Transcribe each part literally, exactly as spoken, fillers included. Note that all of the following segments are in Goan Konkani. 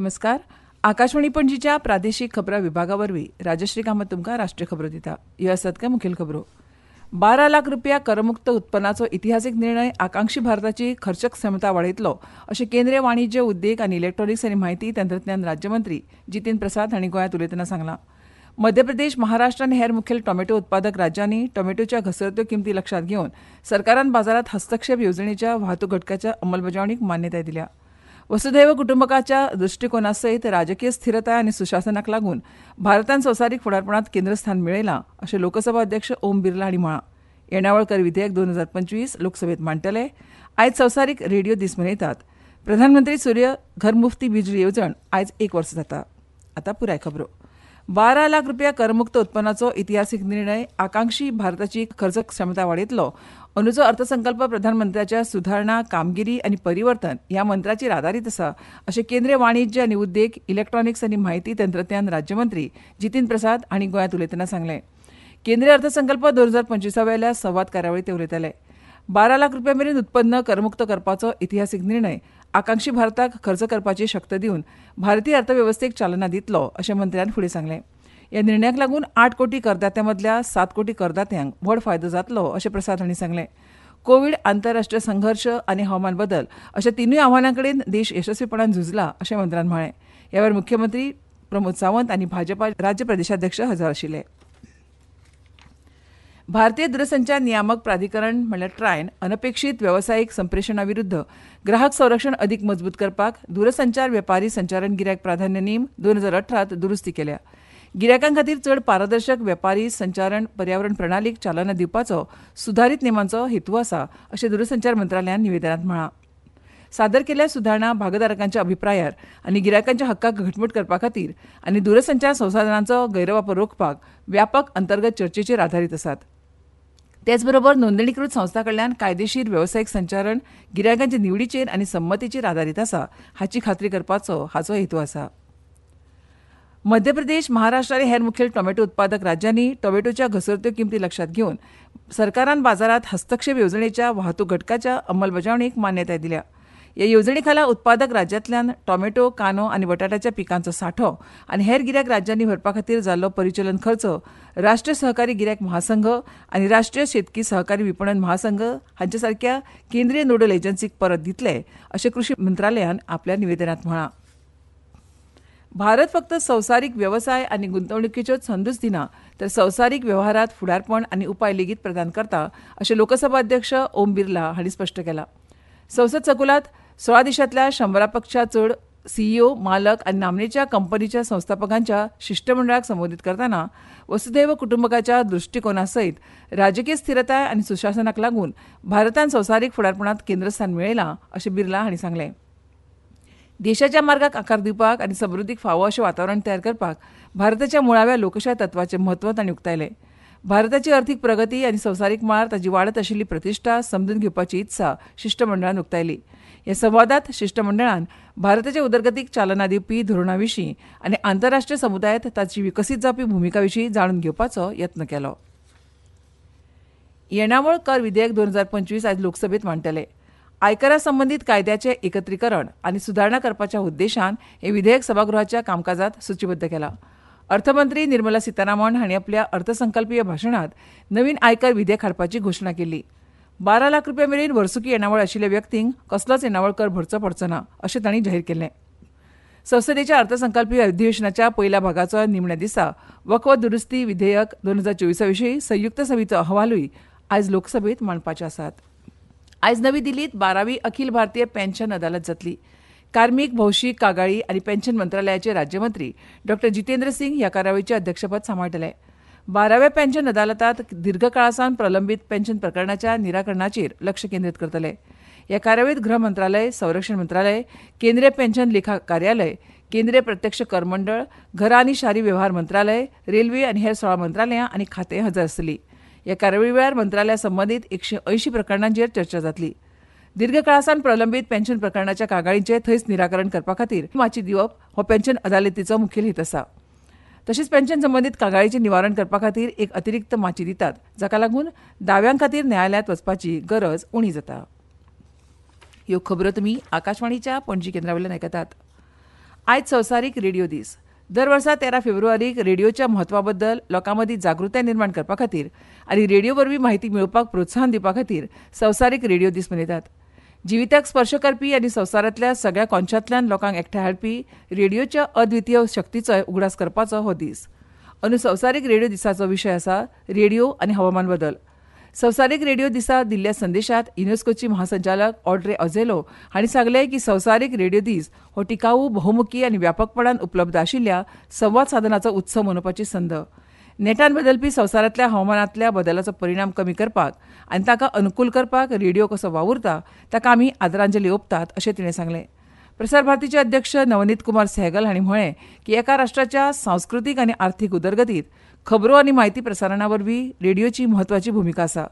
नमस्कार. आकाशवाणी पणजीच्या प्रादेशीक खबरां विभागा वरवीं राजश्री कामत तुमकां राष्ट्रीय खबरो दिता. ह्यो आसात काय मुखेल खबरो. बारा लाख रुपया करमुक्त उत्पन्नाचो इतिहासीक निर्णय आकांक्षी भारताची खर्च क्षमता वाडयतलो अशें केंद्रीय वाणिज्य उद्देग आनी इलेक्ट्रॉनिक्स आनी म्हायती तंत्रज्ञान राज्यमंत्री जितीन प्रसाद हांणी गोंयांत उलयतना सांगलां. मध्य प्रदेश, महाराष्ट्र आनी हेर मुखेल टोमॅटो उत्पादक राज्यांनी टोमॅटोच्या घसरत्यो किमती लक्षांत घेवन सरकारान बाजारांत हस्तक्षेप येवजणेच्या वाहतूक घटकाच्या अंमलबजावणीक मान्यताय दिल्या. वसुधैव कुटुंबकाच्या दृश्टीकोना सयत राजकीय स्थिरताय आनी सुशासनाक लागून भारतान संवसारीक फुडारपणांत केंद्रस्थान मेळयलां अशें लोकसभा अध्यक्ष ओम बिर्ला हांणी म्हळां. येणावळ कर विधेयक दोन हजार पंचवीस लोकसभेत मांडटले. आयज संवसारीक रेडिओ दीस मनयतात. प्रधानमंत्री सूर्य घर मुफ्ती बिजली येवजण आयज एक वर्स जाता. आतां पुराय खबरो. बारा लाख रुपया करमुक्त उत्पन्नाचो इतिहासीक निर्णय आकांक्षी भारताची खर्च क्षमता वाडयतलो. अंदूचो अर्थसंकल्प प्रधानमंत्र्याच्या सुधारणा, कामगिरी आनी परिवर्तन ह्या मंत्राचेर आदारीत आसा अशें केंद्रीय वाणिज्य आनी उद्देग, इलेक्ट्रॉनिक्स आनी म्हायती तंत्रज्ञान राज्यमंत्री जितीन प्रसाद हांणी गोंयांत उलयतना सांगलें. केंद्रीय अर्थसंकल्प दोन हजार पंचवीसा वेल्या संवाद कार्यावळींत ते उलयताले. बारा लाख रुपया मेरेन उत्पन्न करमुक्त करपाचो इतिहासीक निर्णय आकांक्षी भारताक खर्च करपाची शक्त दिवन भारतीय अर्थवेवस्थेक चालना दितलो अशें मंत्र्यान फुडें सांगलें. ह्या निर्णयाक लागून आठ कोटी करदात्यां मदल्या सात कोटी करदात्यांक व्हड फायदो जातलो अशें प्रसाद हांणी सांगलें. कोवीड, आंतरराष्ट्रीय संघर्श आनी हवामान बदल अशा तिनूय आव्हानां कडेन देश येसस्वीपणान झुजला अशें मंत्र्यान म्हळें. ह्या वेळार मुख्यमंत्री प्रमोद सावंत आनी भाजपा राज्य प्रदेशाध्यक्ष हजर आशिल्ले. भारतीय दूरसंचार नियामक प्राधिकरण म्हणल्यार ट्रायन अनपेक्षीत वेवसायीक संप्रेषणा विरुद्ध ग्राहक संरक्षण अदीक मजबूत करपाक दूरसंचार वेपारी संचारण गिरायक प्राधान्य नेम दोन हजार अठरात दुरुस्ती केल्या. गिरायकां खातीर चड पारदर्शक वेपारी संचारण पर्यावरण प्रणालीक चालना दिवपाचो सुदारीत नेमांचो हेतू आसा अशें दूरसंचार मंत्रालयान निवेदनांत म्हळां. सादर केल्ल्या सुदारणा भागधारकांच्या अभिप्रायार आनी गिरायकांच्या हक्काक घटमूट करपा खातीर आनी दूरसंचार संसाधनांचो गैरवापर रोखपाक व्यापक अंतर्गत चर्चेचेर आदारीत आसात. तेचबरोबर नोंदणीकृत संस्थां कडल्यान कायदेशीर वेवसायीक संचारण गिरायकांचे निवडीचेर आनी संमतीचेर आदारीत आसा हाची खात्री करपाचो हाचो हेतू आसा. मध्य प्रदेश, महाराष्ट्र आनी हेर मुखेल टोमॅटो उत्पादक राज्यांनी टोमॅटोच्या घसरत्यो किमती लक्षांत घेवन सरकारान बाजारांत हस्तक्षेप येवजणेच्या वाहतूक घटकाच्या अंमलबजावणीक मान्यताय दिल्या. ह्या येवजणे खाला उत्पादक राज्यांतल्यान टोमॅटो, कांदो आनी बटाट्याच्या पिकांचो सांठो आनी हेर गिरायक राज्यांनी व्हरपा खातीर जाल्लो परिचलन खर्च राष्ट्रीय सहकारी गिरायक महासंघ आनी राष्ट्रीय शेतकी सहकारी विपणन महासंघ हांचे सारक्या केंद्रीय नोडल एजन्सीक परत दितले अशें कृशी मंत्रालयान आपल्या निवेदनांत म्हळां. भारत फक्त संवसारीक वेवसाय आनी गुंतवणुकीच्योच संदूच दिना तर संवसारीक वेव्हारांत फुडारपण आनी उपाय लेगीत प्रदान करता अशें लोकसभा अध्यक्ष ओम बिर्ला हांणी स्पश्ट केलां. संसद संकुलांत सोळा देशांतल्या शंबरा पेक्षा चड सीईओ, मालक आनी नामनेच्या कंपनीच्या संस्थापकांच्या शिश्टमंडळाक संबोधीत करतना वसुधैव कुटुंबकाच्या दृश्टीकोना सयत राजकीय स्थिरताय आनी सुशासनाक लागून भारतान संवसारीक फुडारपणांत केंद्रस्थान मेळयलां अशें बिर्ला हांणी सांगलें. देशाच्या मार्गाक आकार दिवपाक आनी समृद्धीक फावो अशें वातावरण तयार करपाक भारताच्या मुळाव्या लोकशाय तत्वाचें म्हत्व तांणी उक्तायलें. भारताची अर्थीक प्रगती आनी संवसारीक मळार ताची वाडत आशिल्ली प्रतिश्ठा समजून घेवपाची इत्सा शिश्टमंडळान उक्तायली. ह्या संवादांत शिश्टमंडळान भारताच्या उदरगतीक चालना दिवपी धोरणा विशीं आनी आंतरराष्ट्रीय समुदायांत ताची विकसीत जावपी भुमिका विशीं जाणून घेवपाचो यत्न केलो. येणावळ कर विधेयक दोन हजार पंचवीस आयज लोकसभेत मांडटले. आयकरा संबंदीत कायद्याचें एकत्रीकरण आनी सुदारणा करपाच्या उद्देशान हें विधेयक सभागृहाच्या कामकाजांत सुचीबद्ध केलां. अर्थमंत्री निर्मला सीतारामन हांणी आपल्या अर्थसंकल्पीय भाशणांत नवीन आयकर विधेयक हाडपाची घोशणा केली. बारा लाख रुपया मेरेन वर्सुकी येणावळ आशिल्ल्या व्यक्तींक कसलोच येणावळ कर भरचो पडचो ना अशें तांणी जाहीर केलें. संसदेच्या अर्थसंकल्पीय अधिवेशनाच्या पयल्या भागाचो निमण्या दिसा वक्फ दुरुस्ती विधेयक दोन हजार चोवीसा विशीं संयुक्त समितीचो अहवालूय आयज लोकसभेत मांडपाचे आसात. आयज नवी दिल्लीत बारावी अखिल भारतीय पेन्शन अदालत जातली. कार्मीक, भौशीक कागाळी आनी पेन्शन मंत्रालयाचे राज्यमंत्री डॉ जितेंद्र सिंग ह्या कार्यावळीचें अध्यक्षपद सांबाळटले. बाराव्या पेन्शन अदालतांत दीर्घकाळासावन प्रलंबीत पेन्शन प्रकरणाच्या निराकरणाचेर लक्ष केंद्रीत करतले. ह्या कार्यावळींत गृह मंत्रालय, संरक्षण मंत्रालय, केंद्रीय पेन्शन लेखा कार्यालय, केंद्रीय प्रत्यक्ष कर मंडळ, घरां आनी शारी वेव्हार मंत्रालय, रेल्वे आनी हेर सोळा मंत्रालयां आनी खातें हजर आसतलीं. ह्या कार्यावळी वेळार मंत्रालया संबंदीत एकशे अंयशीं प्रकरणांचेर चर्चा जातली. दीर्घकाळासावन प्रलंबीत पेन्शन प्रकरणाच्या कागाळींचें थंयच निराकरण करपा खातीर माची दिवप हो पेन्शन अदालतीचो मुखेल हेत आसा. तशेंच पेन्शन संबंदीत कागाळीचें निवारण करपा खातीर एक अतिरिक्त माची दितात, जाका लागून दाव्यां खातीर न्यायालयांत वचपाची गरज उणी जाता. ह्यो खबरो तुमी आकाशवाणीच्या पणजी केंद्रा वयल्यान आयकतात. आयज संवसारीक रेडिओ दीस. दर वर्सा तेरा फेब्रुवारीक रेडिओच्या म्हत्वा बद्दल लोकां मदीं जागृताय निर्माण करपा खातीर आनी रेडिओ वरवीं म्हायती मेळोवपाक प्रोत्साहन दिवपा खातीर संवसारीक रेडिओ दीस मनयतात. जिविताक स्पर्श करपी आनी संवसारांतल्या सगळ्या कोनशांतल्यान लोकांक एकठांय हाडपी रेडिओच्या अद्वितीय शक्तीचोय उगडास करपाचो हो दीस. अंदू संवसारीक रेडिओ दिसाचो विशय आसा रेडिओ आनी हवामान बदल. संवसारीक रेडिओ दिसा दिल्ल्या संदेशात युनेस्कोची महासंचालक ऑड्रे अझेलो हांणी सांगलें की संवसारीक रेडिओ दीस हो टिकाऊ, बहुमुखी आनी व्यापकपणान उपलब्ध आशिल्ल्या संवाद साधनाचो उत्सव मनोवपाची संद. नेटान बदलपी संवसारांतल्या हवामानांतल्या बदलाचो परिणाम कमी करपाक आनी ताका अनुकूल करपाक रेडिओ कसो वावुरता ताका आमी आदरांजली ओंपतात अशें तिणें सांगलें. प्रसार भारतीचे अध्यक्ष नवनीत कुमार सहगल हांणी म्हळें की एका राष्ट्राच्या सांस्कृतीक आनी आर्थीक उदरगतीत खबरो आनी म्हायती प्रसारणा वरवीं रेडिओची म्हत्वाची भुमिका आसा.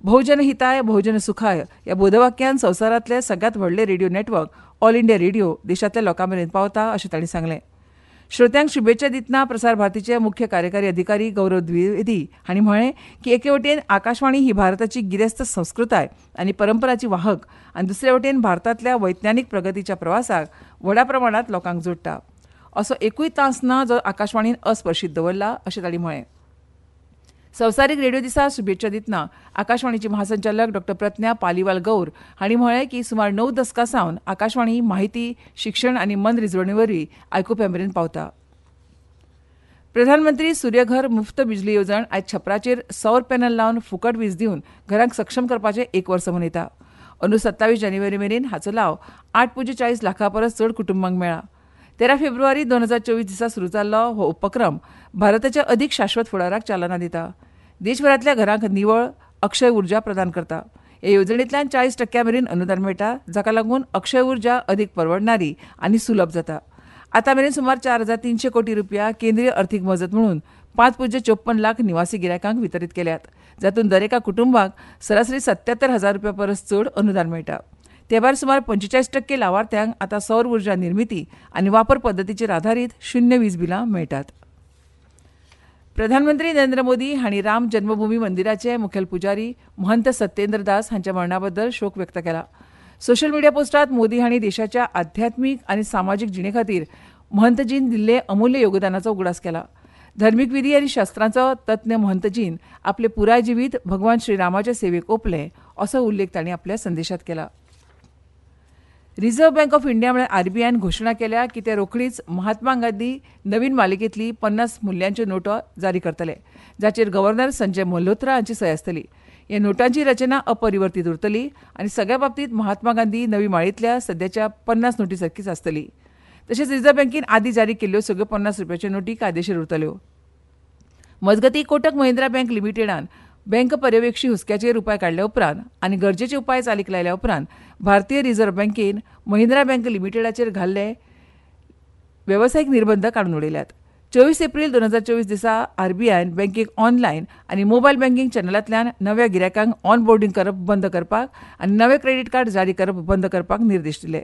बहुजन हिताय बहुजन सुखाय ह्या बोधवाक्यान संवसारांतले सगळ्यांत व्हडले radio network All India Radio देशांतल्या लोकां मेरेन पावता अशें तांणी सांगलें. श्रोत्यांक शुभेच्छा दितना प्रसार भारतीचे मुख्य कार्यकारी अधिकारी गौरव द्विवेदी हांणी म्हळें की एके वटेन आकाशवाणी ही भारताची गिरेस्त संस्कृताय आनी परंपराची वाहक आनी दुसरे वटेन भारतांतल्या वैज्ञानीक प्रगतीच्या प्रवासाक व्हडा प्रमाणांत लोकांक जोडटा. असो एकूय तास ना जो आकाशवाणीन अस्पर्शीत दवरला अशें तांणी म्हळें. संवसारीक रेडिओ दिसा शुभेच्छा दितना आकाशवाणीची महासंचालक डॉ प्रज्ञा पालिवाल गौर हांणी म्हळें की सुमार णव दसकां सावन आकाशवाणी म्हायती, शिक्षण आनी मनरिजवणे वरवीं आयकुप्यां मेरेन पावता. प्रधानमंत्री सूर्यघर मुफ्त बिजली येवजण आयज छपराचेर सौर पॅनल लावन फुकट वीज दिवन घरांक सक्षम करपाचें एक वर्स मनयता. अंदू सत्तावीस जानेवारी मेरेन हाचो लाव आठ पुज्य चाळीस लाखां परस चड कुटुंबांक मेळ्ळा. तेरा फेब्रुवारी दोन हजार चोवीस दिसा सुरू जाल्लो हो उपक्रम भारताच्या अदीक शाश्वत फुडाराक चालना दिता. देशभरांतल्या घरांक निवळ अक्षय उर्जा प्रदान करता. हे येवजणेंतल्यान चाळीस टक्क्यां मेरेन अनुदान मेळटा, जाका लागून अक्षय उर्जा अदीक परवडणारी आनी सुलभ जाता. आतां मेरेन सुमार चार हजार तीनशे कोटी रुपया केंद्रीय अर्थीक मजत म्हणून पांच पुज्य चोपन्न लाख निवासी गिरायकांक वितरीत केल्यात, जातूंत दरेका कुटुंबाक सरासरी सत्यात्तर हजार रुपया परस चड अनुदान मेळटा. ते भायर सुमार पंचेचाळीस टक्के लावार्थ्यांक आतां सौर उर्जा निर्मिती आनी वापर पद्दतीचेर आधारीत शुन्य वीज बिलां मेळटात. प्रधानमंत्री नरेंद्र मोदी हांणी राम जन्मभूमी मंदिराचे मुखेल पुजारी महंत सत्येंद्र दास हांच्या मरणा बद्दल शोक व्यक्त केला. सोशल मिडिया पोस्टात मोदी हांणी देशाच्या आध्यात्मीक आनी सामाजीक जिणे खातीर महंतजीन दिल्ले अमूल्य योगदानाचो उगडास केला. धर्मीक विधी आनी शास्त्रांचो तज्ञ महंतजीन आपले पुराय जिवीत भगवान श्रीरामाच्या सेवेक ओंपलें असो उल्लेख तांणी आपल्या संदेशात केला. रिझर्व्ह बँक ऑफ इंडिया म्हळ्यार आरबीआयन घोशणा केल्या की ते रोखडीच महात्मा गांधी नवीन मालिकेंतली पन्नास मुल्यांच्यो नोटो जारी करतले, जाचेर गव्हर्नर संजय मल्होत्रा हांची सय आसतली. ह्या नोटांची रचना अपरिवर्तीत उरतली आनी सगळ्या बाबतींत महात्मा गांधी नवी माळेंतल्या सद्याच्या पन्नास नोटी सारकीच आसतली. तशेंच रिझर्व्ह बँकेन आदीं जारी केल्ल्यो सगळ्यो पन्नास रुपयाच्यो नोटी कायदेशीर उरतल्यो. मजगतीं, कोटक महिंद्रा बँक लिमिटेडान बँक पर्यवेक्षी हुस्क्याचेर उपाय काडल्या उपरांत आनी गरजेचे उपाय चालीक लायल्या उपरांत भारतीय रिझर्व्ह बँकेन महिंद्रा बँक लिमिटेडाचेर घाल्ले वेवसायीक निर्बंध काडून उडयल्यात. चोवीस एप्रील दोन हजार चोवीस दिसा आरबीआयन बँकेक ऑनलायन आनी मोबायल बँकिंग चॅनलांतल्यान नव्या गिरायकांक ऑनबोर्डिंग करप बंद करपाक आनी नवे क्रेडीट कार्ड जारी करप बंद करपाक निर्देश दिले.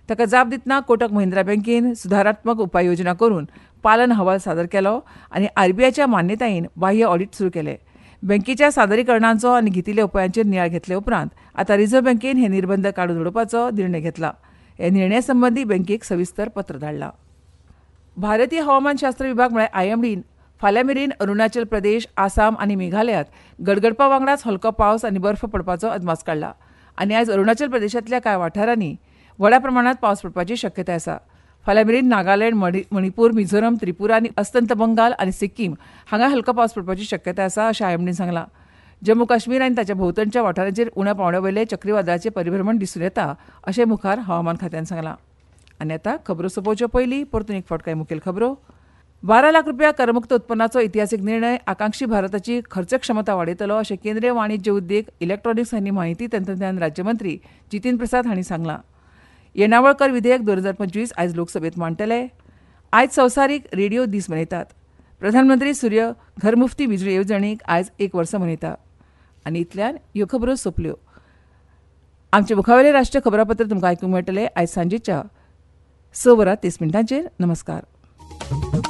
ताका जाप दितना कोटक महिंद्रा बँकेन सुदारात्मक उपाययोजना करून पालन अहवाल सादर केलो आनी आरबीआयच्या मान्यतायेन बाह्य ऑडिट सुरू केलें. बँकेच्या सादरीकरणांचो आनी घेतिल्ल्या उपायांचेर नियाळ घेतले उपरांत आतां रिझर्व्ह बँकेन हे निर्बंध काडून उडोवपाचो निर्णय घेतला. ह्या निर्णया संबंदी बँकेक सविस्तर पत्र धाडलां. भारतीय हवामानशास्त्र विभाग म्हळ्यार आयएमडीन फाल्यां मेरेन अरुणाचल प्रदेश, आसाम आनी मेघालयांत गडगडपा वांगडाच हलको पावस आनी बर्फ पडपाचो अदमास काडला आनी आयज अरुणाचल प्रदेशांतल्या कांय वाठारांनी व्हडा प्रमाणांत पावस पडपाची शक्यताय आसा. फाल्यां मेरेन नागालँड, मणिपूर, मिझोरम, त्रिपुरा आनी अस्तंत बंगाल आनी सिक्कीम हांगा हलको पावस पडपाची शक्यताय आसा अशें आयएमडीन सांगलां. जम्मू काश्मीर आनी ताच्या भोंवतणच्या वाठारांचेर उण्या पांवड्या वयले चक्रीवादळाचें परिभ्रमण दिसून येता अशें मुखार हवामान खात्यान सांगलां. आनी आतां खबरो सोंपोवच्यो पयलीं परतून एक फावट कांय मुखेल खबरो. बारा लाख रुपया करमुक्त उत्पन्नाचो इतिहासीक निर्णय आकांक्षी भारताची खर्च क्षमता वाडयतलो अशें केंद्रीय वाणिज्य उद्देग, इलेक्ट्रॉनिक्स आनी म्हायती तंत्रज्ञान राज्यमंत्री जितीन प्रसाद हांणी सांगलां. येणावळ कर विधेयक दोन हजार पंचवीस आयज लोकसभेत मांडटले. आयज संवसारीक रेडिओ दीस मनयतात. प्रधानमंत्री सूर्य घरमुफ्ती बिजली येवजणेक आयज एक वर्स मनयता. आनी इतल्यान ह्यो खबरो सोंपल्यो. आमचे मुखावेलें राष्ट्रीय खबरापत्र तुमकां आयकूंक मेळटलें आयज सांजेच्या स वरां तीस मिनटांचेर. नमस्कार.